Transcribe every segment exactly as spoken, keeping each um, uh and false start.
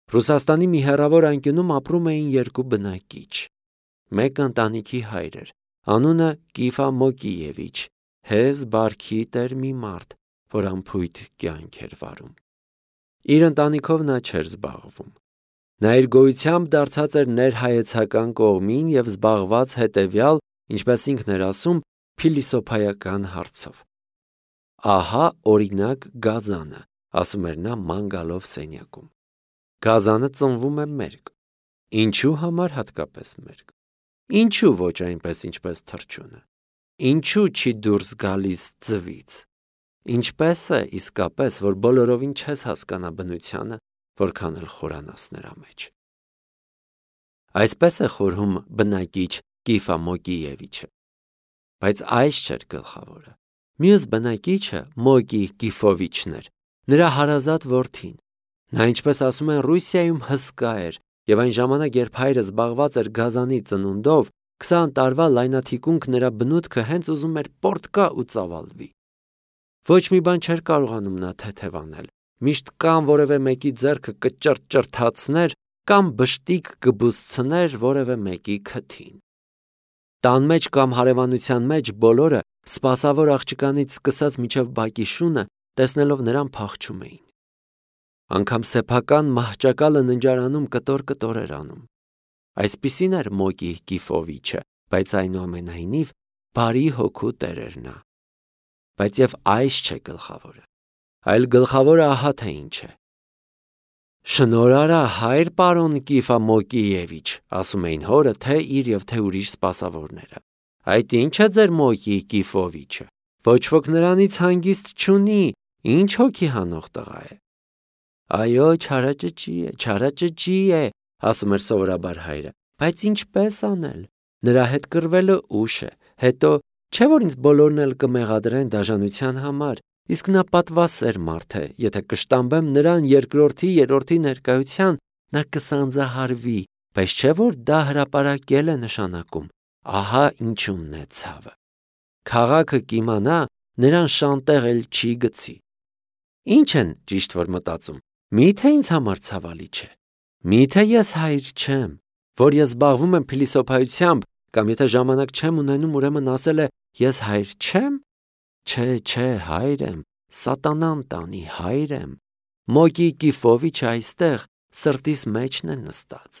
Ռուսաստանի մի հեռավոր անկյունում ապրում էին երկու բնակիչ։ Մեկը ընտանիքի հայր էր, անունը Կիֆա Մոկիևիչ, հեզ բարքի տեր մի մարդ, որ անփույթ կյանք էր վարում։ Իր ընտանիքով նա չէր զբաղվում։ Նա իր գոյությամբ դարձած էր ներհայեցական կողմին և զբաղված հետևյալ, ինչպես ինքն էր ասում, փիլիսոփայական հարցով։ Ահա օրինակ գազանը, ասում էր նա ման գալով սենյակում։ Գազանը ծնվում է մերկ։ Ինչու համար հատկապես մերկ։ Ինչու ոչ այնպես, ինչպես թռչունը։ Ինչու չի դուրս գալիս ձվից։ Ինչպես է իսկապես, որ բոլորովին չես հասկանա բնությանը, որքան էլ խորանաս նրա մեջ։ Այսպես է խորհում բնակիչ Կիֆա Մոկիևիչը։ Բայց այս չէր գլխավորը։ Մյուս բնակիչը Մոկի Կիֆովիչն էր, նրա հարազատ որդին։ Նա, ինչպես ասում են, Ռուսիայում հսկա էր, և այն ժամանակ, երբ հայրը զբաղված էր գազանի ծնունդով, քսան տարվա լայնաթիկունք նրա բնուտքը հենց ուզում էր պորտկա ու ծավալվի։ Ոչ մի բան չէր կարողանում նա թեթևանել, միշտ կամ որևէ մեկի ձեռքը կճրճրթացներ, կամ բշտիկ կբուսցներ որևէ մեկի քթին։ Տան մեջ կամ հարևանության մեջ բոլորը, սպասավոր աղջկանից սկսած մինչև բակի շունը, տեսնելով նրան փախչում էին։ Անգամ սեփական մահճակալը ննջարանում կտոր-կտոր էր անում։ Այսպիսին էր Մոկի Կիֆովիչը, բայց այնուամենայնիվ բարի հոգու տեր էր նա։ Բայց և այս չէ գլխավորը, այլ գլխավորը ահա թե ինչ է։ Շնորհարա հայր պարոն Կիֆա Մոկիևիչ, ասում էին հորը, թե իր և թե ուրիշ սպասավորները։ Այդ ինչ է ձեր Մոկի Կիֆովիչը, ոչ ոք նրանից հանգիստ չունի, ինչ հոգի հանող տղա է։ Այո, չարաճճի է, չարաճճի է, ասում էր սովորաբար հայրը, բայց ինչպես անել, նրա հետ կռվելը ուշ է, հետո չէ որ ինձ բոլորն էլ կմեղադրեն դաժանության համար, իսկ նա պատվասեր մարդ է, եթե կշտամբեմ նրան երկրորդի, երրորդի ներկայության, նա կսանձահարվի, բայց չէ որ դա հրապարակել է նշանակում, ահա ինչումն է ցավը։ Քաղաքը կիմանա, նրան շանտեղ էլ չի գցի։ Ինչ են ճիշտ որ մտածում, միթե ինձ համար ցավալի չէ, միթե ես հայր չեմ, որ ես զբաղվում եմ փիլիսոփայությամբ, կամ եթե ժամանակ չեմ ունենում, ուրեմն ասել է ես հայր չեմ։ Չէ, չէ, հայր եմ, սատանան տանի, հայր եմ։ Մոկի Կիֆովիչը այստեղ սրտիս մեջն է նստած։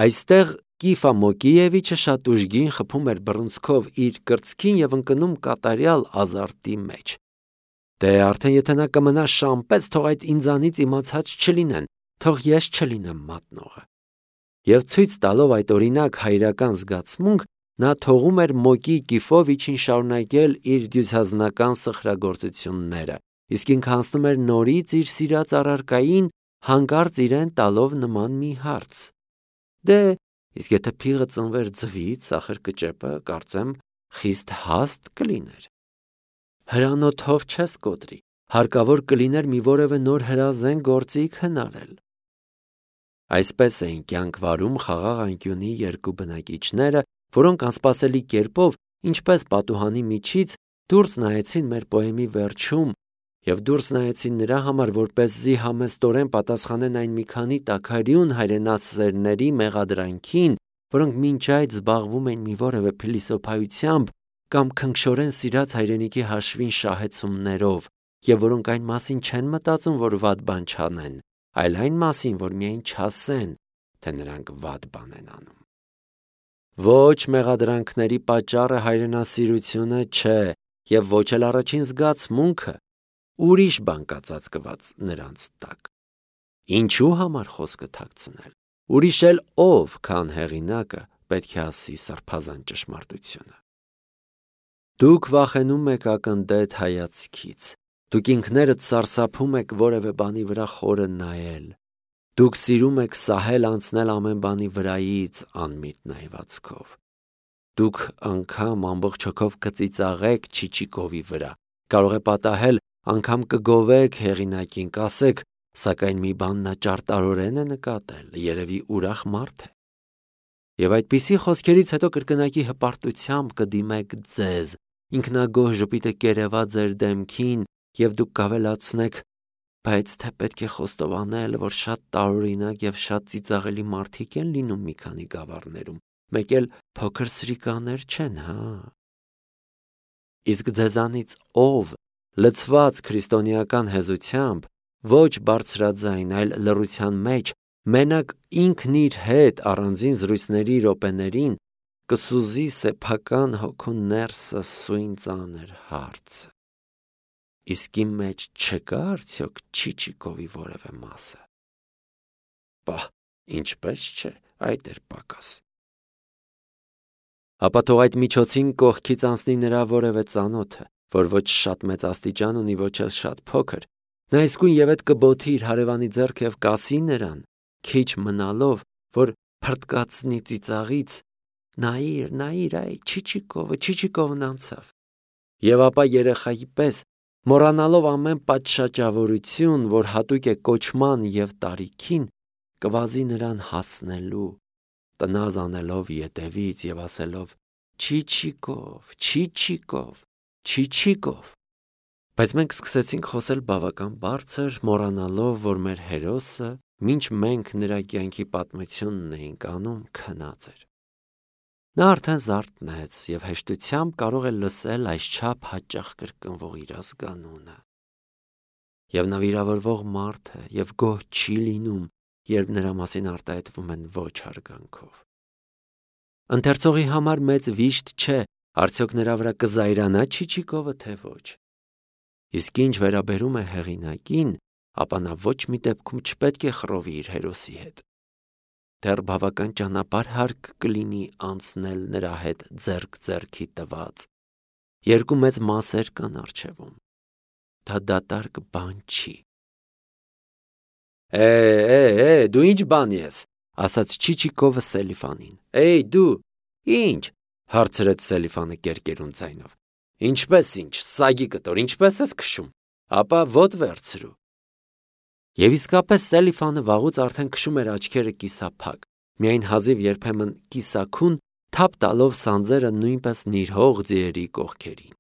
Այստեղ Կիֆա Մոկիևիչը շատ ուժգին խփում էր բռունցքով իր կրծքին և ընկնում կատարյալ ազարտի մեջ։ Դե արդեն եթե նա կմնա շամպես, թող այդ ինձանից իմացած չլինեն, թող ես չլինեմ մատնողը։ Եվ ցույց տալով այդ օրինակ հայրական զգացմունք, նա թողում էր Մոկի Կիֆովիչին շարունակել իր դյուցազնական սխրագործությունները, իսկ ինքը անցնում էր նորից իր սիրած առարկային, հանկարծ իրեն տալով նման մի հարց. Դե, իսկ եթե փիղը ծնվեր ձվից, ախր կճեպը, կարծեմ, խիստ հաստ կլիներ։ Հրանոթով չես կոտրի, հարկավոր կլիներ մի որևէ նոր հրազեն գործիք հնարել։ Այսպես էին կյանք վարում խաղաղ անկյունի երկու բնակիչները, որոնք անսպասելի կերպով, ինչպես պատուհանի միջից, դուրս նայեցին մեր պոեմի վերջում և դուրս նայեցին նրա համար, որպեսզի համեստորեն պատասխանեն այն մի քանի տաքարյուն հայրենասերների մեղադրանքին, որոնք մինչ այդ զբաղվում էին մի որևէ փիլիսոփայությամբ կամ քնքշորեն սիրած հայրենիքի հաշվին շահեցումներով, և որոնք այն մասին չեն մտածում, որ վատ բան չանեն, այլ այն մասին, որ միայն չասեն, թե նրանք վատ բան են անում։ Ոչ մեղադրանքների պատճառը հայրենասիրությունը չէ, և ոչ էլ առաջին զգացմունքը, ուրիշ բան կա ծածկված նրանց տակ։ Ինչու համար խոսքը թաքցնել, ուրիշ էլ ով, քան հեղինակը, պետք է ասի սրբազան ճշմարտությունը։ Դուք վախենում եք ակնտետ հայացքից, դուք ինքներդ սարսափում եք որևէ բանի վրա խորը նայել, դուք սիրում եք սահել անցնել ամեն բանի վրայից անմիտ նայվածքով, դուք անգամ ամբողջ հոգով կծիծաղեք Չիչիկովի վրա, կարող է պատահել անգամ կգովեք հեղինակին, կասեք, սակայն մի բան նա ճարտարորեն է նկատել, երևի ուրախ մարդ է։ Եվ այդպիսի խոսքերից հետո կրկնակի հպարտությամբ կդիմեք ձեզ, ինքնագոհ ժպիտը կերևա ձեր դեմքին, և դուք կավելացնեք, Բայց թե պետք է խոստովանել, որ շատ տարօրինակ եւ շատ ծիծաղելի մարդիկ են լինում մի քանի գավառներում, մեկ էլ փոքր սրիկաներ չեն, հա։ Իսկ ձեզանից ով լցված քրիստոնեական հեզությամբ, ոչ բարձրաձայն, այլ լռության մեջ, մենակ ինքն իր հետ առանձին զրույցների րոպեներին կսուզի սեփական հոգու ներսը սույն ծանր հարցը. իսկ իմ մեջ չկա արդյոք Չիչիկովի որևէ մասը։ Պահ, ինչպես չէ, այդ էր պակաս։ Ապա թող այդ միջոցին կողքից անցնի նրա որևէ ծանոթը, որ ոչ շատ մեծ աստիճան ունի, ոչ էլ շատ փոքր, նա իսկույն եւ այդ կբոթի իր հարևանի ձեռքը եւ կասի նրան, քիչ մնալով, որ փրտկացնի ծիծաղից, նայիր, նայիր, այ Չիչիկովը, Չիչիկովն անցավ։ Եվ ապա երեխայի պես, մոռանալով ամեն պատշաճավորություն, որ հատուկ է կոչման եւ տարիքին, կվազի նրան հասնելու, տնազ անելով ետևից եւ ասելով. Չիչիկով, Չիչիկով, Չիչիկով։ Բայց մենք սկսեցինք խոսել բավական բարձր, մոռանալով, որ մեր հերոսը, մինչ մենք նրա կյանքի պատմությունն էինք անում, քնած էր։ Նա արդեն զարթնեց եւ հեշտությամբ կարող է լսել այսչափ հաճախ կրկնվող իր ազգանունը։ Եվ նա վիրավորվող մարդ է եւ գոհ չի լինում, երբ նրա մասին արտահայտվում են ոչ հարգանքով։ Ընթերցողի համար մեծ վիշտ չէ, արդյոք նրա վրա կզայրանա Չիչիկովը, թե ոչ։ Իսկ ինչ վերաբերում է հեղինակին, ապա նա ոչ մի դեպքում չպետք է խռովի իր հերոսի հետ։ Դեռ բավական ճանապարհ հարկ կլինի անցնել նրա հետ ձեռք ձեռքի տված։ Երկու մեծ մասեր կան առջևում։ Դա դատարկ բան չի։ Է, է, է, դու ինչ բան ես, ասաց Չիչիկովը Սելիֆանին։ Էй, դու, ինչ, հարցրեց Սելիֆանը կերկերուն ձայնով։ Ինչպես ինչ, սագի կտոր, ինչպես ես քշում։ Ապա ոտ վերցրու։ Եվ իսկապես Սելիֆանը վաղուց արդեն քշում էր աչքերը կիսափակ, միայն հազիվ երբեմն կիսաքուն թափ տալով սանձերը նույնպես նիրհող ձիերի կողքերին։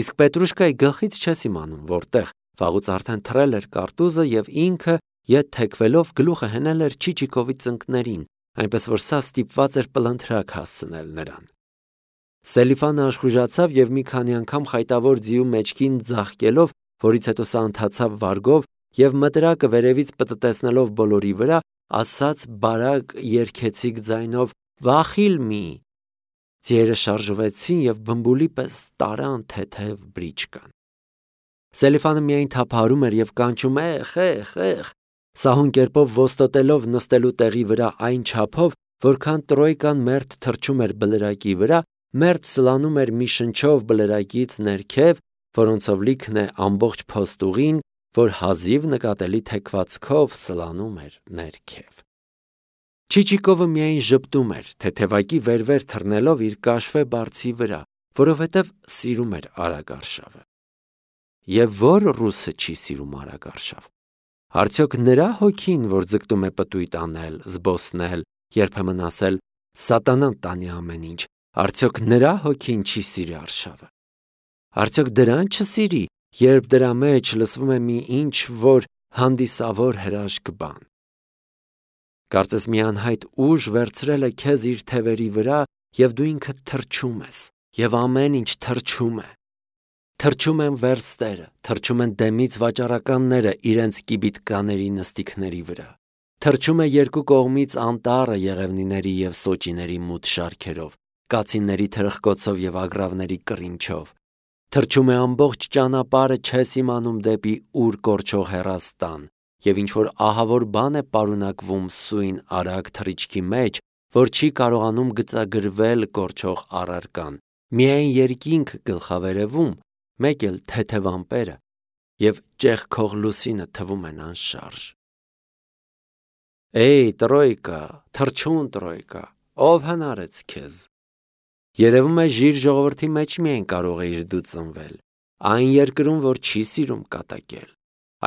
Իսկ Պետրուշկայի գլխից չես իմանում, որտեղ վաղուց արդեն թռել էր կարտուզը եւ ինքը ետ թեքվելով գլուխը հնել էր Չիչիկովի ծնկներին, այնպես որ սա ստիպված էր պլընթրակ հասցնել նրան։ Սելիֆանը աշխուժացավ եւ մի քանի անգամ խայտավոր ձիու մեջքին ձաղկելով, որից հետո սա ընթացավ վարգով եւ մտրակը վերևից պտտեցնելով բոլորի վրա, ասաց բարակ երգեցիկ ձայնով. «Վախիլ մի»։ Ձիերը շարժվեցին եւ բմբուլի պես տարան թեթև բրիչկան։ Սելիֆանը միայն թափահարում էր եւ կանչում. «Էխ, էխ, էխ», սահուն կերպով ոստոտելով նստելու տեղի վրա այն չափով, որքան տրոյկան մերթ թռչում էր բլրակի վրա, մերթ սլանում էր մի շնչով բլրակից ներքև, որոնցով լիքն է ամբողջ փոստուղին, որ հազիվ նկատելի թեքվածքով սլանում էր ներքև։ Չիչիկովը միայն ժպտում էր, թեթևակի վեր-վեր թռնելով իր կաշվե բարձի վրա, որովհետև սիրում էր արագարշավը։ Եվ որ ռուսը չի սիրում արագարշավ։ Արդյոք նրա հոգին, որ ձգտում է պտույտ անել, զբոսնել, երբեմն ասել սատանան տանի ամեն ինչ, արդյոք նրա հոգին չի սիրի արշավը։ Արդյոք դրան չսիրի, երբ դրա մեջ լսվում է մի ինչ որ հանդիսավոր հրաշք բան։ Կարծես մի անհայտ ուժ վերցրել է քեզ իր թևերի վրա եւ դու ինքդ թռչում ես, եւ ամեն ինչ թռչում է։ Թռչում են վերստերը, թռչում են դեմից վաճառականները իրենց կիբիտկաների նստիկների վրա։ Թռչում է երկու կողմից անտառը եղևնիների եւ սոճիների մութ շարքերով, կացինների թրխկոցով եւ ագրավների կռինչով։ Թռչում է ամբողջ ճանապարհը չես իմանում դեպի ուր կորչող հեռաստան, եւ ինչ որ ահավոր բան է պարունակվում սույն արագ թռիչքի մեջ, որ չի կարողանում գծագրվել կորչող առարկան, միայն երկինք գլխավերևում, մեկ էլ թեթև ամպերը, եւ ճեղքող լուսինը թվում են անշարժ։ Էй, տրոյկա, թռչուն տրոյկա, ով հնարեց քեզ։ Երևում է ժիր ժողովրդի մեջ միայն կարող էիր դու ծնվել, այն երկրում, որ չի սիրում կատակել,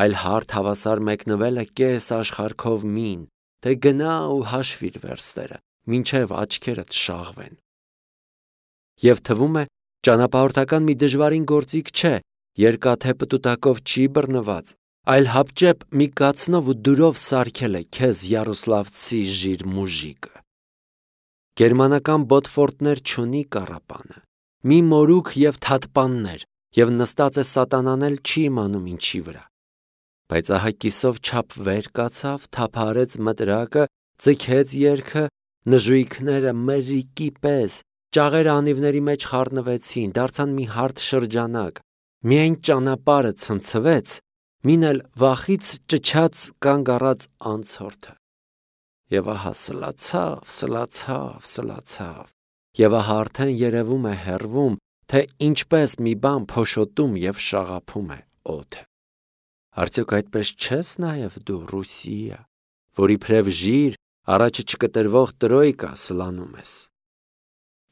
այլ հարթ հավասար մեկնվել է կես աշխարհքով մին, թե գնա ու հաշվիր վերստերը, մինչև աչքերդ շաղվեն։ Եվ թվում է, ճանապարհորդական մի դժվարին գործիք չէ, երկաթե պտուտակով չի բռնված, այլ հապճեպ մի կացնով ու դուրով սարքել է քեզ Յարոսլավցի ժիր մուժիկը։ Գերմանական բոտֆորտներ չունի կառապանը, մի մորուք և թատպաններ, և նստած է սատանան էլ չի իմանում ինչի վրա։ Բայց ահա կիսով չափ վեր կացավ, թափահարեց մտրակը, ձգեց երգը, նժույգները մրրիկի պես, ճաղերը անիվների մեջ խառնվեցին, դարձան մի հարթ շրջանակ, միայն ճանապարհը ցնցվեց, մին էլ վախից ճչաց կանգ առած անցորդը։ Եվ ահա սլացավ, սլացավ, սլացավ, և ահա արդեն երևում է հեռվում, թե ինչպես մի բան փոշոտում և շաղափում է օդը։ Արդյոք այդպես չես նաև դու Ռուսիա, որ իբրև ժիր առաջը չկտրվող տրոյկա սլանում ես։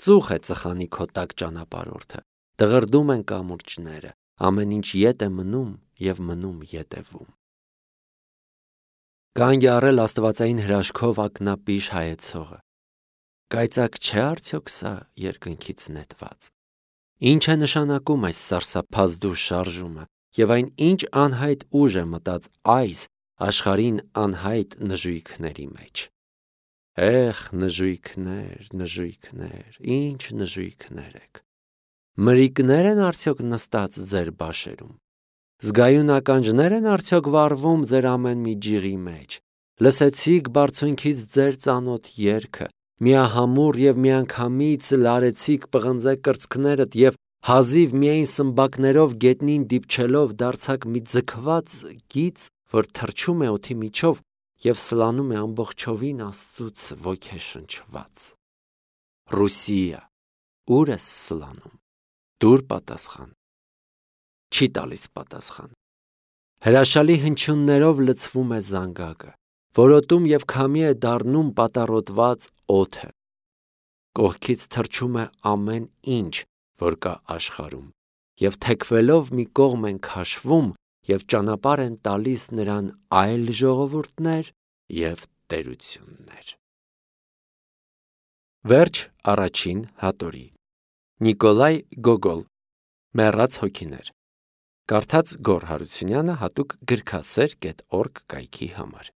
Ծուխ է ծխանի քո տակ ճանապարհորդը, դղրդում են կամուրջները, ամեն ինչ ետ է մնում և մնում ետևում։ Կանգ է առել աստվածային հրաշքով ակնապիշ հայեցողը։ Կայծակ չէ արդյոք սա երկնքից նետված։ Ինչ է նշանակում այս սարսափազդու շարժումը և այն ինչ անհայտ ուժ է մտած այս աշխարհին անհայտ նժույգների մեջ։ Էխ, նժույգներ, նժույգներ, ինչ նժույգներ եք։ Մրիկնե՞ր են արդյոք նստած ձեր բաշերում։ Զգայուն ականջնե՞ր են արդյոք վառվում ձեր ամեն մի ջիղի մեջ։ Լսեցիք բարձունքից ձեր ծանոթ երգը, միահամուռ և միանգամից լարեցիք պղնձե կրծքներդ և հազիվ միայն սմբակներով գետնին դիպչելով դարձաք մի ձգված գիծ, որ թռչում է օդի միջով և սլանում է ամբողջովին Աստծուց ոգեշնչված։ Ռուսիա, ուր ես սլանում։ Տուր պատասխան։ Չի տալիս պատասխան։ Հրաշալի հնչյուններով լցվում է զանգակը, որոտում և քամի է դառնում պատառոտված օդը։ Կողքից թռչում է ամեն ինչ, որ կա աշխարհում, և թեքվելով մի կողմ են քաշվում և ճանապարհ են տալիս նրան այլ ժողովուրդներ և տերություններ։ Վերջ առաջին հատորի։ Նիկոլայ Գոգոլ, Մեռած հոգիներ։ Կարդաց Գոռ Հարությունյանը հատուկ գրքասեր կետ օրգ կայքի համար։